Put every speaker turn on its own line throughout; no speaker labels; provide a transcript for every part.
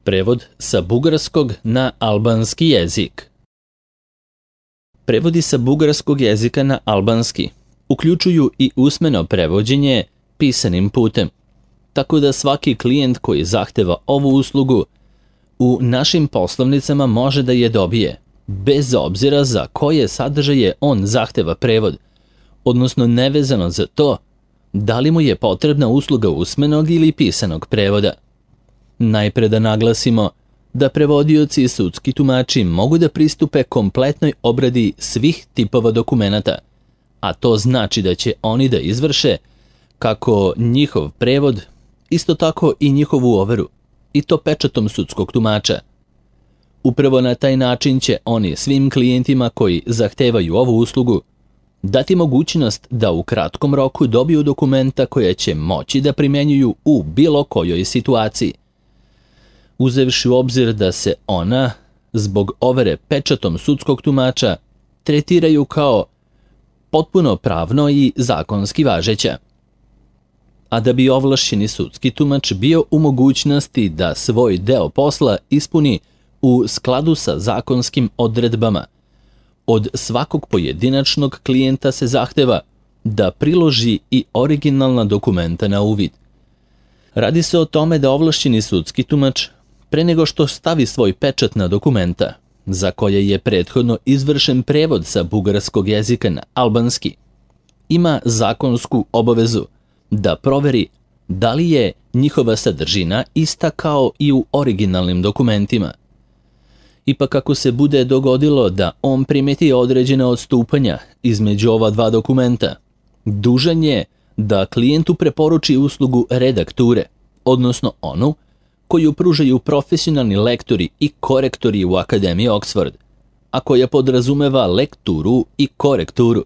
Prevod sa bugarskog na albanski jezik. Prevodi sa bugarskog jezika na albanski uključuju i usmeno prevođenje pisanim putem, tako da svaki klijent koji zahteva ovu uslugu u našim poslovnicama može da je dobije, bez obzira za koje sadržaje on zahteva prevod, odnosno nevezano za to da li mu je potrebna usluga usmenog ili pisanog prevoda. Najpre da naglasimo da prevodioci i sudski tumači mogu da pristupe kompletnoj obradi svih tipova dokumenata, a to znači da će oni da izvrše kako njihov prevod, isto tako i njihovu overu, i to pečatom sudskog tumača. Upravo na taj način će oni svim klijentima koji zahtevaju ovu uslugu dati mogućnost da u kratkom roku dobiju dokumenta koja će moći da primenjuju u bilo kojoj situaciji. Uzevši u obzir da se ona, zbog overe pečatom sudskog tumača, tretiraju kao potpuno pravno i zakonski važeća. A da bi ovlašćeni sudski tumač bio u mogućnosti da svoj deo posla ispuni u skladu sa zakonskim odredbama, od svakog pojedinačnog klijenta se zahteva da priloži i originalna dokumenta na uvid. Radi se o tome da ovlašćeni sudski tumač, pre nego što stavi svoj pečat na dokumenta, za koje je prethodno izvršen prevod sa bugarskog jezika na albanski, ima zakonsku obavezu da proveri da li je njihova sadržina ista kao i u originalnim dokumentima. Ipak ako se bude dogodilo da on primeti određena odstupanja između ova dva dokumenta, dužan je da klijentu preporuči uslugu redakture, odnosno onu koju pružaju profesionalni lektori i korektori u Akademiji Oxford, a koja podrazumeva lekturu i korekturu.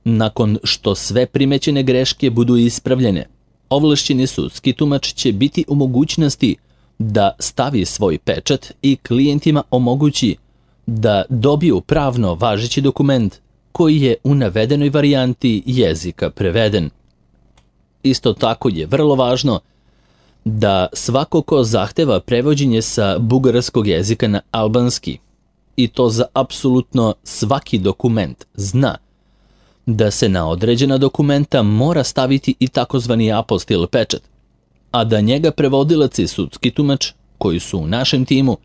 Nakon što sve primećene greške budu ispravljene, ovlašćeni sudski tumač će biti u mogućnosti da stavi svoj pečat i klijentima omogući da dobiju pravno važeći dokument koji je u navedenoj varijanti jezika preveden. Isto tako je vrlo važno da svako ko zahteva prevođenje sa bugarskog jezika na albanski, i to za apsolutno svaki dokument, zna da se na određena dokumenta mora staviti i takozvani apostil pečat, a da njega prevodilac i sudski tumač, koji su u našem timu,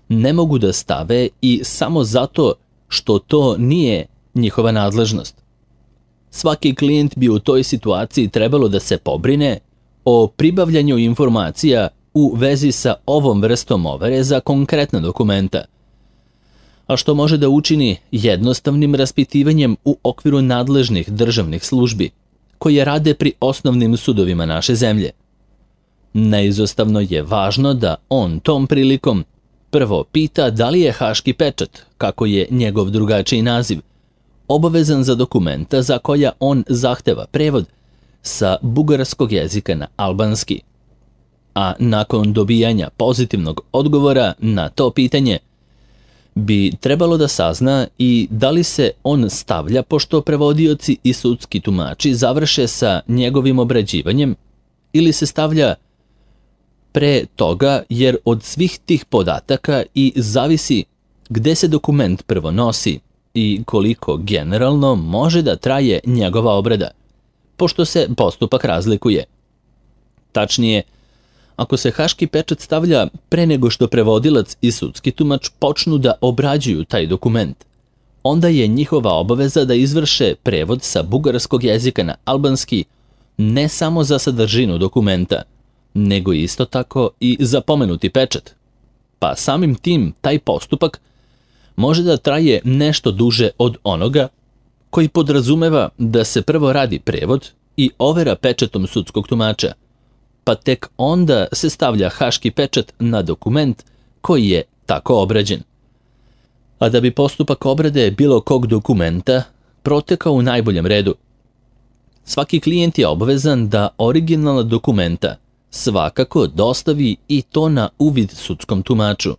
ne mogu da stave i samo zato što to nije njihova nadležnost. Svaki klijent bi u toj situaciji trebalo da se pobrine o pribavljanju informacija u vezi sa ovom vrstom overe za konkretna dokumenta, a što može da učini jednostavnim raspitivanjem u okviru nadležnih državnih službi, koje rade pri osnovnim sudovima naše zemlje. Neizostavno je važno da on tom prilikom prvo pita da li je haški pečat, kako je njegov drugačiji naziv, obavezan za dokumenta za koja on zahteva prevod sa bugarskog jezika na albanski. A nakon dobijanja pozitivnog odgovora na to pitanje, bi trebalo da sazna i da li se on stavlja pošto prevodioci i sudski tumači završe sa njegovim obrađivanjem ili se stavlja pre toga, jer od svih tih podataka i zavisi gde se dokument prvo nosi i koliko generalno može da traje njegova obrada, pošto se postupak razlikuje. Tačnije, ako se haški pečat stavlja pre nego što prevodilac i sudski tumač počnu da obrađuju taj dokument, onda je njihova obaveza da izvrše prevod sa bugarskog jezika na albanski ne samo za sadržinu dokumenta, nego isto tako i za pomenuti pečat. Pa samim tim taj postupak može da traje nešto duže od onoga koji podrazumeva da se prvo radi prevod i overa pečatom sudskog tumača, pa tek onda se stavlja haški pečat na dokument koji je tako obrađen. A da bi postupak obrade bilo kog dokumenta protekao u najboljem redu, svaki klijent je obavezan da originalna dokumenta svakako dostavi i to na uvid sudskom tumaču,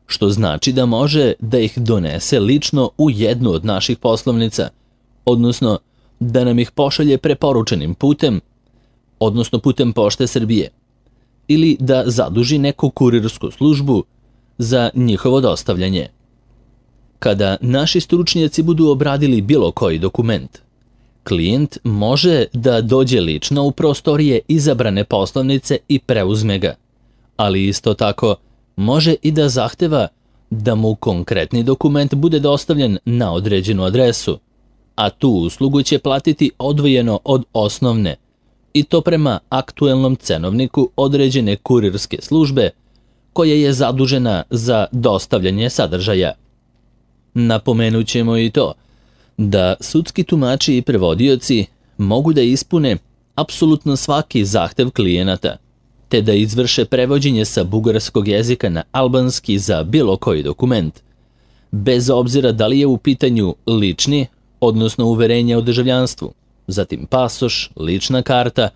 što znači da može da ih donese lično u jednu od naših poslovnica, odnosno da nam ih pošalje preporučenim putem, odnosno putem Pošte Srbije. ili da zaduži neku kurirsku službu za njihovo dostavljanje. Kada naši stručnjaci budu obradili bilo koji dokument, klijent može da dođe lično u prostorije izabrane poslovnice i preuzme ga, ali isto tako može i da zahteva da mu konkretni dokument bude dostavljen na određenu adresu, a tu uslugu će platiti odvojeno od osnovne, i to prema aktuelnom cenovniku određene kurirske službe koja je zadužena za dostavljanje sadržaja. Napomenut ćemo i to da sudski tumači i prevodioci mogu da ispune apsolutno svaki zahtev klijenata, te da izvrše prevođenje sa bugarskog jezika na albanski za bilo koji dokument, bez obzira da li je u pitanju lični, odnosno uverenje o državljanstvu, zatim pasoš, lična karta,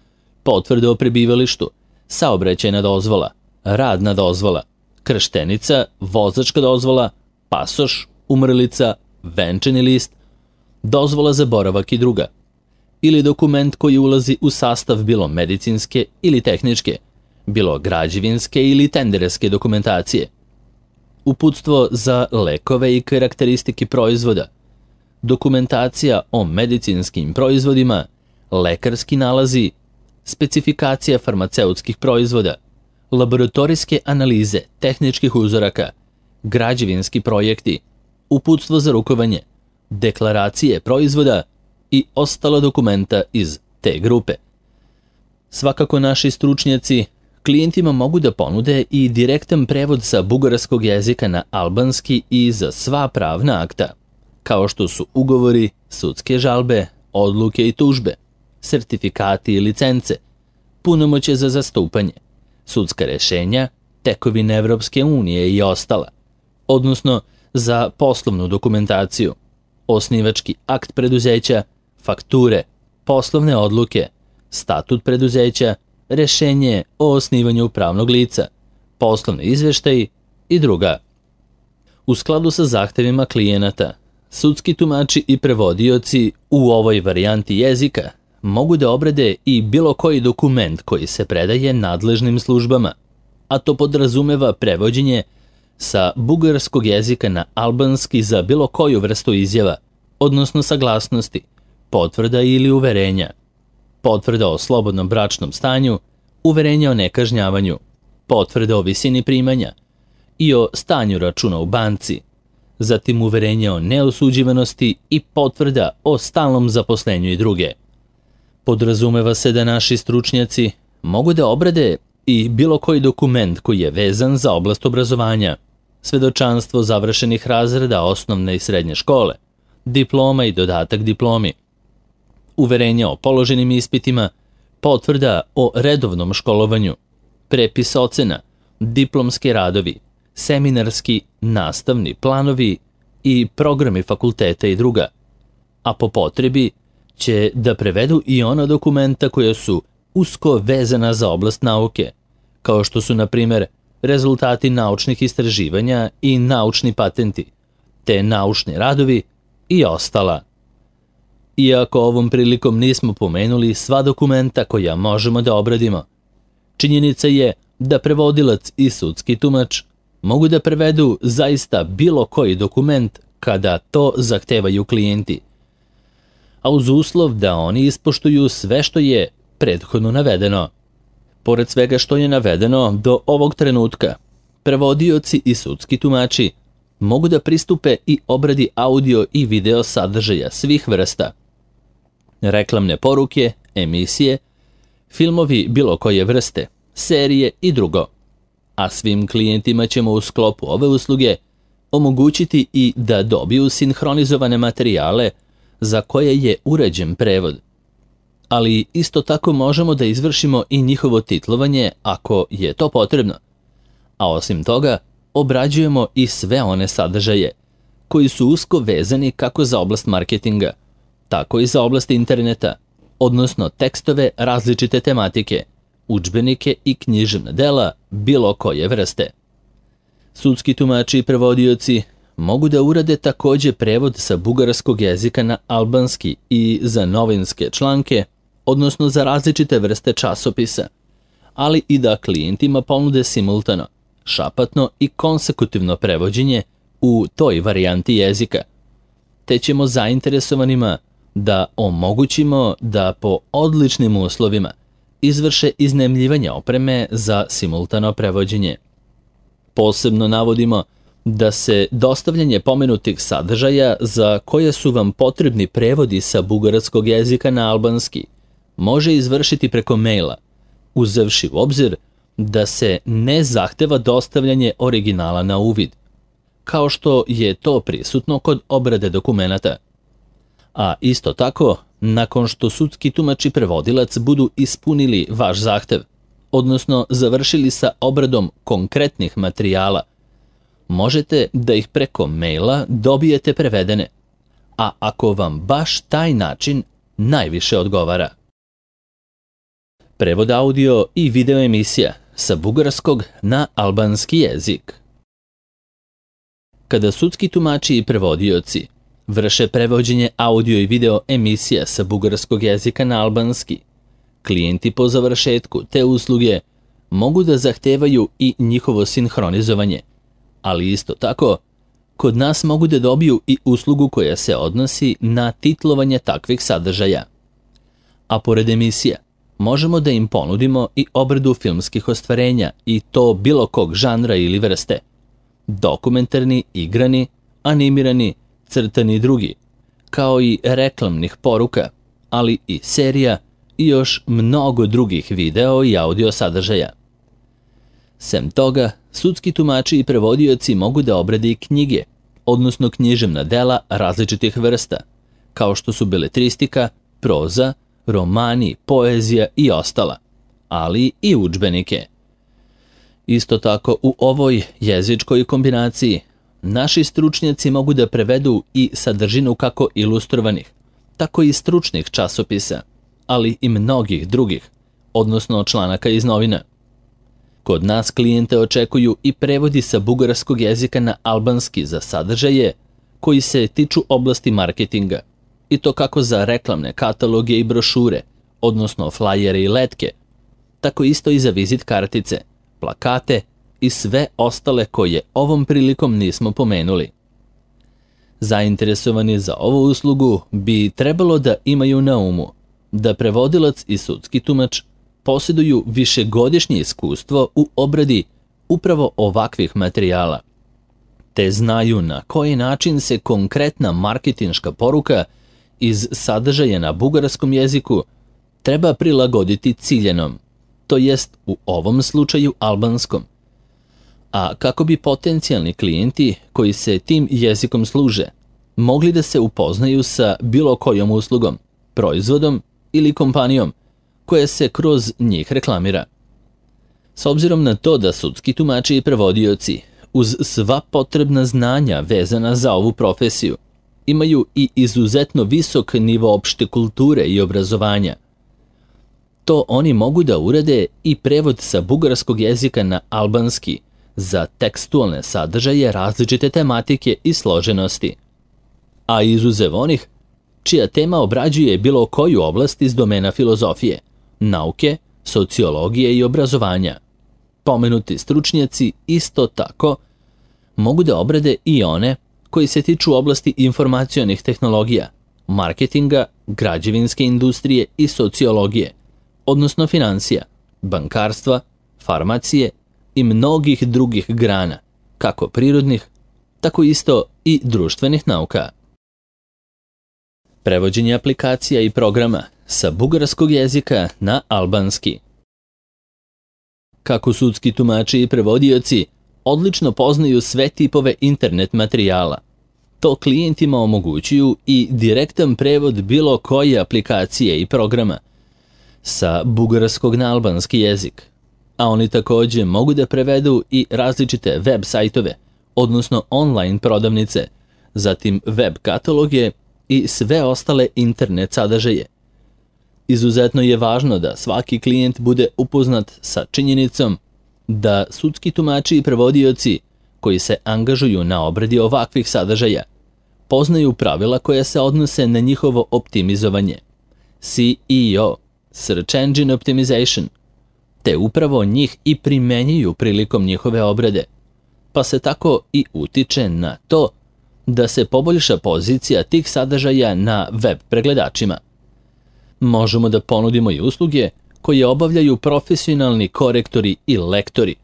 potvrda o prebivalištu, saobraćajna dozvola, radna dozvola, krštenica, vozačka dozvola, pasoš, umrlica, venčani list, dozvola za boravak i druga, ili dokument koji ulazi u sastav bilo medicinske ili tehničke, bilo građevinske ili tenderske dokumentacije, uputstvo za lekove i karakteristike proizvoda, dokumentacija o medicinskim proizvodima, lekarski nalazi, specifikacija farmaceutskih proizvoda, laboratorijske analize tehničkih uzoraka, građevinski projekti, uputstvo za rukovanje, deklaracije proizvoda i ostala dokumenta iz te grupe. Svakako naši stručnjaci klijentima mogu da ponude i direktan prevod sa bugarskog jezika na albanski i za sva pravna akta, kao što su ugovori, sudske žalbe, odluke i tužbe, sertifikati i licence, punomoćje za zastupanje, sudska rešenja, tekovine Evropske unije i ostala, odnosno za poslovnu dokumentaciju, osnivački akt preduzeća, fakture, poslovne odluke, statut preduzeća, rešenje o osnivanju pravnog lica, poslovni izveštaji i druga. U skladu sa zahtevima klijenata, sudski tumači i prevodioci u ovoj varijanti jezika mogu da obrade i bilo koji dokument koji se predaje nadležnim službama, a to podrazumeva prevođenje sa bugarskog jezika na albanski za bilo koju vrstu izjava, odnosno saglasnosti, potvrda ili uverenja, potvrda o slobodnom bračnom stanju, uverenja o nekažnjavanju, potvrda o visini primanja i o stanju računa u banci, zatim uverenja o neosuđivanosti i potvrda o stalnom zaposlenju i druge. Podrazumeva se da naši stručnjaci mogu da obrade i bilo koji dokument koji je vezan za oblast obrazovanja, svedočanstvo završenih razreda osnovne i srednje škole, diploma i dodatak diplomi, uverenja o položenim ispitima, potvrda o redovnom školovanju, prepis ocena, diplomski radovi, seminarski, nastavni planovi i programi fakulteta i druga, a po potrebi će da prevedu i ona dokumenta koja su usko vezana za oblast nauke, kao što su, na primjer, rezultati naučnih istraživanja i naučni patenti, te naučni radovi i ostala. Iako ovom prilikom nismo pomenuli sva dokumenta koja možemo da obradimo, činjenica je da prevodilac i sudski tumač mogu da prevedu zaista bilo koji dokument kada to zahtevaju klijenti, a uz uslov da oni ispoštuju sve što je prethodno navedeno. Pored svega što je navedeno do ovog trenutka, prevodioci i sudski tumači mogu da pristupe i obradi audio i video sadržaja svih vrsta, reklamne poruke, emisije, filmovi bilo koje vrste, serije i drugo. A svim klijentima ćemo u sklopu ove usluge omogućiti i da dobiju sinhronizovane materijale za koje je uređen prevod. Ali isto tako možemo da izvršimo i njihovo titlovanje ako je to potrebno. A osim toga, obrađujemo i sve one sadržaje koji su usko vezani kako za oblast marketinga, tako i za oblast interneta, odnosno tekstove različite tematike, udžbenike i književna dela bilo koje vrste. Sudski tumači i prevodioci mogu da urade takođe prevod sa bugarskog jezika na albanski i za novinske članke, odnosno za različite vrste časopisa, ali i da klijentima ponude simultano, šapatno i konsekutivno prevođenje u toj varijanti jezika, te ćemo zainteresovanima da omogućimo da po odličnim uslovima izvrše iznajmljivanje opreme za simultano prevođenje. Posebno navodimo da se dostavljanje pomenutih sadržaja za koje su vam potrebni prevodi sa bugarskog jezika na albanski može izvršiti preko maila, uzevši u obzir da se ne zahteva dostavljanje originala na uvid, kao što je to prisutno kod obrade dokumenata. A isto tako, nakon što sudski tumač i prevodilac budu ispunili vaš zahtev, odnosno završili sa obradom konkretnih materijala, možete da ih preko maila dobijete prevedene, a ako vam baš taj način najviše odgovara. Prevod audio i video emisija sa bugarskog na albanski jezik. Kada sudski tumači i prevodioci vrše prevođenje audio i video emisija sa bugarskog jezika na albanski, klijenti po završetku te usluge mogu da zahtevaju i njihovo sinhronizovanje, ali isto tako, kod nas mogu da dobiju i uslugu koja se odnosi na titlovanje takvih sadržaja. A pored emisija, možemo da im ponudimo i obradu filmskih ostvarenja i to bilo kog žanra ili vrste, dokumentarni, igrani, animirani, crtani i drugi, kao i reklamnih poruka, ali i serija i još mnogo drugih video i audio sadržaja. Sem toga, sudski tumači i prevodioci mogu da obrade i knjige, odnosno književna dela različitih vrsta, kao što su beletristika, proza, romani, poezija i ostala, ali i udžbenike. Isto tako u ovoj jezičkoj kombinaciji naši stručnjaci mogu da prevedu i sadržinu kako ilustrovanih, tako i stručnih časopisa, ali i mnogih drugih, odnosno članaka iz novina. Kod nas klijente očekuju i prevodi sa bugarskog jezika na albanski za sadržaje koji se tiču oblasti marketinga, i to kako za reklamne kataloge i brošure, odnosno flajere i letke, tako isto i za vizit kartice, plakate i sve ostale koje ovom prilikom nismo pomenuli. Zainteresovani za ovu uslugu bi trebalo da imaju na umu da prevodilac i sudski tumač posjeduju višegodišnje iskustvo u obradi upravo ovakvih materijala, te znaju na koji način se konkretna marketinška poruka iz sadržaja na bugarskom jeziku treba prilagoditi ciljenom, to jest u ovom slučaju albanskom, a kako bi potencijalni klijenti koji se tim jezikom služe mogli da se upoznaju sa bilo kojom uslugom, proizvodom ili kompanijom koja se kroz njih reklamira. S obzirom na to da sudski tumači i prevodioci uz sva potrebna znanja vezana za ovu profesiju imaju i izuzetno visok nivo opšte kulture i obrazovanja, to oni mogu da urade i prevod sa bugarskog jezika na albanski za tekstualne sadržaje različite tematike i složenosti, a izuzev onih čija tema obrađuje bilo koju oblast iz domena filozofije, nauke, sociologije i obrazovanja. Pomenuti stručnjaci isto tako mogu da obrade i one koji se tiču oblasti informacionih tehnologija, marketinga, građevinske industrije i sociologije, odnosno financija, bankarstva, farmacije i mnogih drugih grana, kako prirodnih, tako isto i društvenih nauka. Prevođenje aplikacija i programa sa bugarskog jezika na albanski. Kako sudski tumači i prevodioci odlično poznaju sve tipove internet materijala, to klijentima omogućuju i direktan prevod bilo koje aplikacije i programa sa bugarskog na albanski jezik, a oni također mogu da prevedu i različite web sajtove, odnosno online prodavnice, zatim web kataloge i sve ostale internet sadržaje. Izuzetno je važno da svaki klijent bude upoznat sa činjenicom da sudski tumači i prevodioci koji se angažuju na obradi ovakvih sadržaja poznaju pravila koja se odnose na njihovo optimizovanje, SEO, Search Engine Optimization, te upravo njih i primenjuju prilikom njihove obrade, pa se tako i utiče na to da se poboljša pozicija tih sadržaja na web pregledačima. Možemo da ponudimo i usluge koje obavljaju profesionalni korektori i lektori,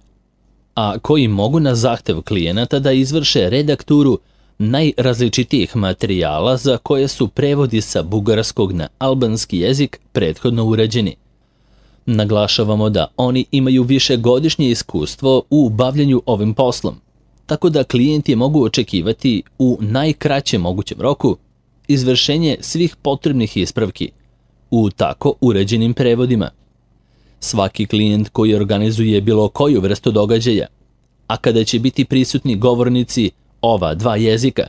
a koji mogu na zahtev klijenata da izvrše redakturu najrazličitijih materijala za koje su prevodi sa bugarskog na albanski jezik prethodno urađeni. Naglašavamo da oni imaju višegodišnje iskustvo u bavljanju ovim poslom, tako da klijenti mogu očekivati u najkraćem mogućem roku izvršenje svih potrebnih ispravki u tako uređenim prevodima. Svaki klijent koji organizuje bilo koju vrstu događaja, a kada će biti prisutni govornici ova dva jezika,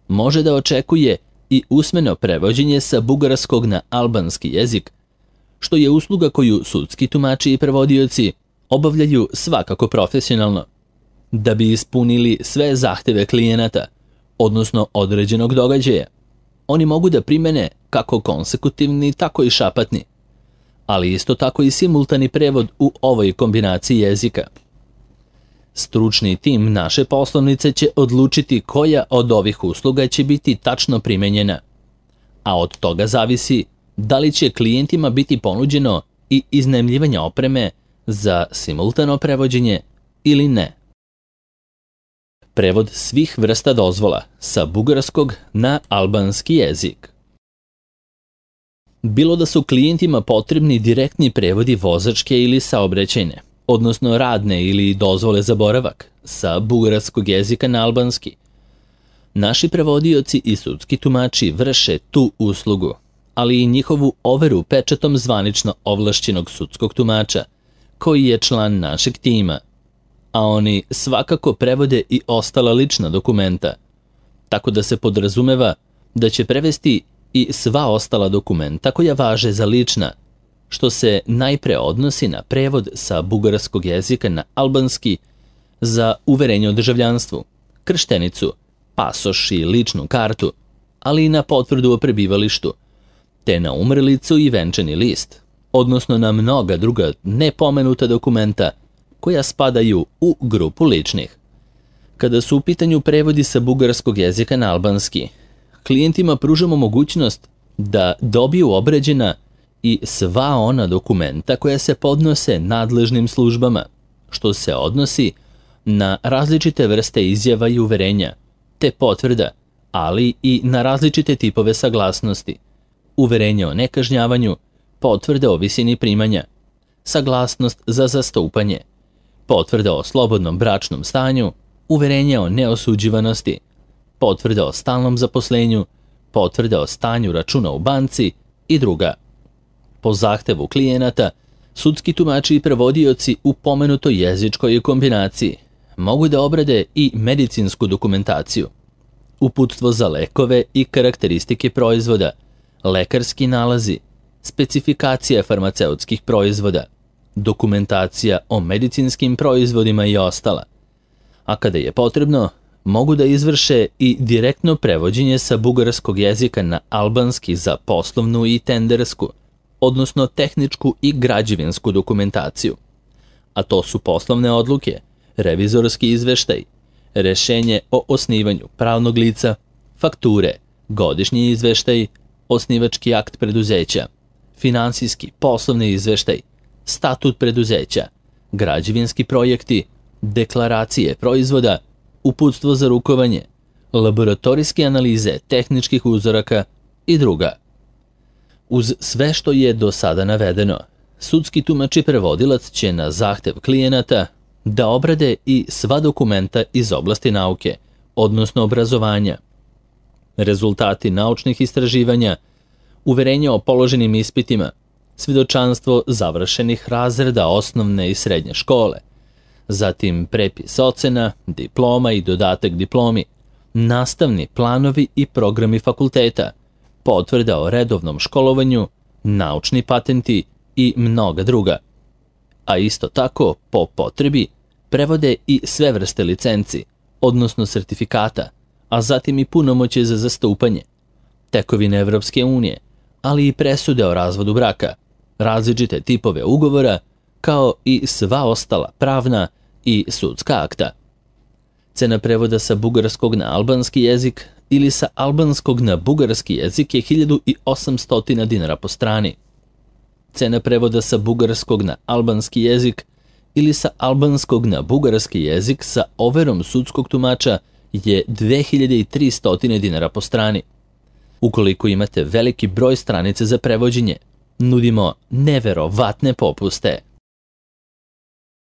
može da očekuje i usmeno prevođenje sa bugarskog na albanski jezik, što je usluga koju sudski tumači i prevodioci obavljaju svakako profesionalno, da bi ispunili sve zahteve klijenata, odnosno određenog događaja. Oni mogu da primene kako konsekutivni, tako i šapatni, ali isto tako i simultani prevod u ovoj kombinaciji jezika. Stručni tim naše poslovnice će odlučiti koja od ovih usluga će biti tačno primenjena, a od toga zavisi da li će klijentima biti ponuđeno i iznajmljivanje opreme za simultano prevođenje ili ne. Prevod svih vrsta dozvola sa bugarskog na albanski jezik. Bilo da su klijentima potrebni direktni prevodi vozačke ili saobraćajne, odnosno radne ili dozvole za boravak, sa bugarskog jezika na albanski. Naši prevodioci i sudski tumači vrše tu uslugu, ali i njihovu overu pečatom zvanično ovlašćenog sudskog tumača, koji je član našeg tima, a oni svakako prevode i ostala lična dokumenta, tako da se podrazumeva da će prevesti i sva ostala dokumenta koja važe za lična, što se najpre odnosi na prevod sa bugarskog jezika na albanski za uverenje o državljanstvu, krštenicu, pasoš i ličnu kartu, ali i na potvrdu o prebivalištu, te na umrlicu i venčani list, odnosno na mnoga druga nepomenuta dokumenta koja spadaju u grupu ličnih. Kada su u pitanju prevodi sa bugarskog jezika na albanski, klijentima pružamo mogućnost da dobiju obrađena i sva ona dokumenta koja se podnose nadležnim službama, što se odnosi na različite vrste izjava i uverenja, te potvrda, ali i na različite tipove saglasnosti, uverenje o nekažnjavanju, potvrde o visini primanja, saglasnost za zastupanje, potvrda o slobodnom bračnom stanju, uverenje o neosuđivanosti, potvrda o stalnom zaposlenju, potvrda o stanju računa u banci i druga. Po zahtevu klijenata, sudski tumači i prevodioci u pomenutoj jezičkoj kombinaciji mogu da obrade i medicinsku dokumentaciju, uputstvo za lekove i karakteristike proizvoda, lekarski nalazi, specifikacija farmaceutskih proizvoda, dokumentacija o medicinskim proizvodima i ostala. A kada je potrebno, mogu da izvrše i direktno prevođenje sa bugarskog jezika na albanski za poslovnu i tendersku, odnosno tehničku i građevinsku dokumentaciju. A to su poslovne odluke, revizorski izveštaj, rešenje o osnivanju pravnog lica, fakture, godišnji izveštaj, osnivački akt preduzeća, finansijski poslovni izveštaj, statut preduzeća, građevinski projekti, deklaracije proizvoda, uputstvo za rukovanje, laboratorijske analize tehničkih uzoraka i druga. Uz sve što je do sada navedeno, sudski tumač i prevodilac će na zahtev klijenata da obrade i sva dokumenta iz oblasti nauke, odnosno obrazovanja, rezultati naučnih istraživanja, uverenje o položenim ispitima, svjedočanstvo završenih razreda osnovne i srednje škole, zatim prepis ocena, diploma i dodatak diplomi, nastavni planovi i programi fakulteta, potvrda o redovnom školovanju, naučni patenti i mnoga druga. A isto tako, po potrebi, prevode i sve vrste licenci, odnosno sertifikata, a zatim i punomoćje za zastupanje, tekovine Evropske unije, ali i presude o razvodu braka, različite tipove ugovora, kao i sva ostala pravna i sudska akta. Cena prevoda sa bugarskog na albanski jezik ili sa albanskog na bugarski jezik je 1800 dinara po strani. Cena prevoda sa bugarskog na albanski jezik ili sa albanskog na bugarski jezik sa overom sudskog tumača je 2300 dinara po strani. Ukoliko imate veliki broj stranica za prevođenje, nudimo neverovatne popuste.